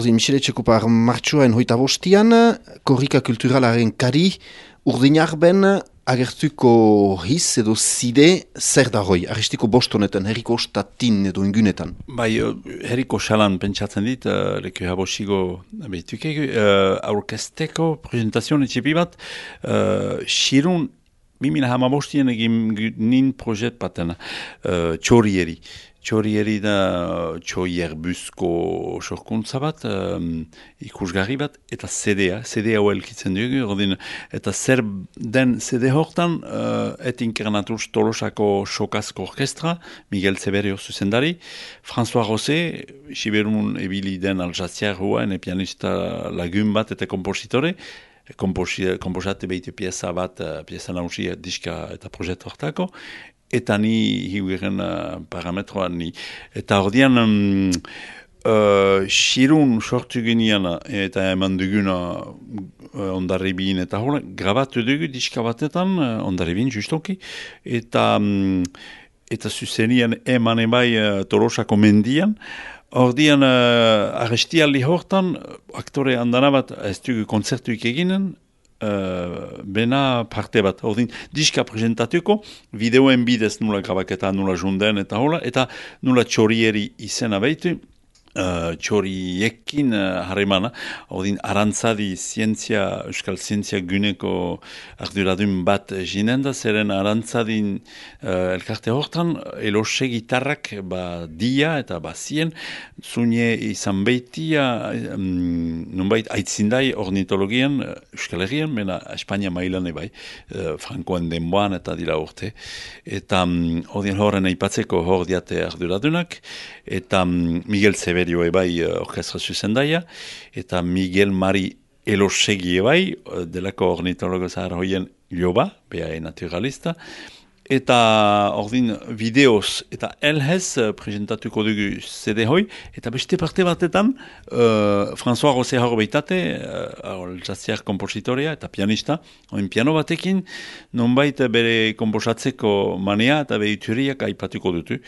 Ordin, Michele Txekupar, martxoen 25an, korrika kulturalaren kari, urdinarben agertuko hiz edo zide zer da hoi, aristiko bostonetan, herriko ostatin edo ingunetan. Bai, herriko salan pentsatzen dit, leku habosigo behituke, aurkesteko presentazioan etxepi bat, xirun 2015 egin nin projet baten, txorieri. Txorieri da txoierbuzko sorkuntza bat, ikusgarri bat, eta CD-a hau elkitzen dugu, ordin, eta zer den CD hortan, et inkernatuz Tolosako Sokazko Orkestra, Miguel Zeberio zuzendari, François Rosé, Siberun ebili den aljaziar hua, pianista lagun bat eta kompositore, komposate behite pieza bat, pieza nausia diska eta proiektu hortako, eta ni hiueren parametroan ni. Eta ordean, xirun sortu genian eta eman duguna ondarribin eta hola, grabatu dugu diska batetan, ondarribin justoki, eta zuzenian eman ebai Tolosako mendian. Ordean, arrestialdi hortan, aktore handana bat ez dugu kontzertuik eginen, bena parte bat. Ordin, diska presentatuko, videoen bidez nula grabaketa, nula junden eta hola, eta nula txorieri izena behitu, txoriekin harremana, ordin, arantzadi euskal zientzia guneko arduradun bat jinen da, zeren arantzadin elkarte hortan, elose gitarrak dia eta zien, zune izan behitia, nunbait aitzindai ornitologian, euskal herrian, mena Espainia mailan ebai, Frankoen denboan eta dira urte. Eta ordin horren aipatzeko hor diate arduradunak, eta Miguel Zeberio ebai orkestra zuzendaia, eta Miguel Mari Elosegi ebai, delako ornitologo zahar hoien joba, beha naturalista, eta ordin videoz eta elhez presentatuko dugu CD hoi, eta beste parte batetan François Rosé hor behitate, aljaziar kompositorea eta pianista, oin piano batekin, nonbait bere komposatzeko manea eta behituriak aipatuko dutu.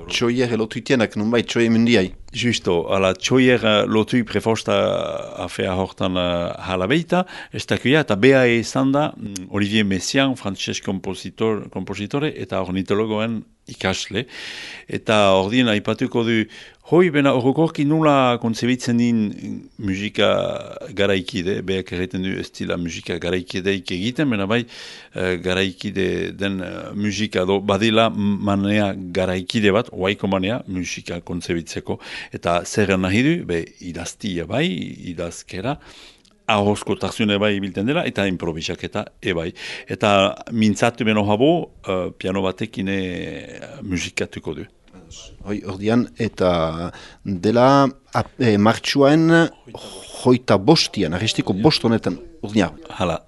Txoier elotuitenak, nonbait txoie mundiai. Justo, ala txoier lotui prefosta afea hortan hala behita, ez dakuia, eta beha izan da Olivier Messiaen, frantses kompositore eta ornitologoen ikasle. Eta ordien aipatuko du, hoi bena horrokorki nula kontzebitzen din musika garaikide, beak erreten du ez dila musika garaikideik egiten, bena bai garaikide den musika do, badila manea garaikide bat, oaiko manea musika kontzebitzeko. Eta zer nahi du, idaztia bai, idazkera, ahozko tarzune bai bilten dela, eta improvisaketa ebai. Eta mintzatu beno habo, piano batekine musikatuko du. Ordian, eta dela martxuaen 25an, aristiko bostonetan, ordina. Hala.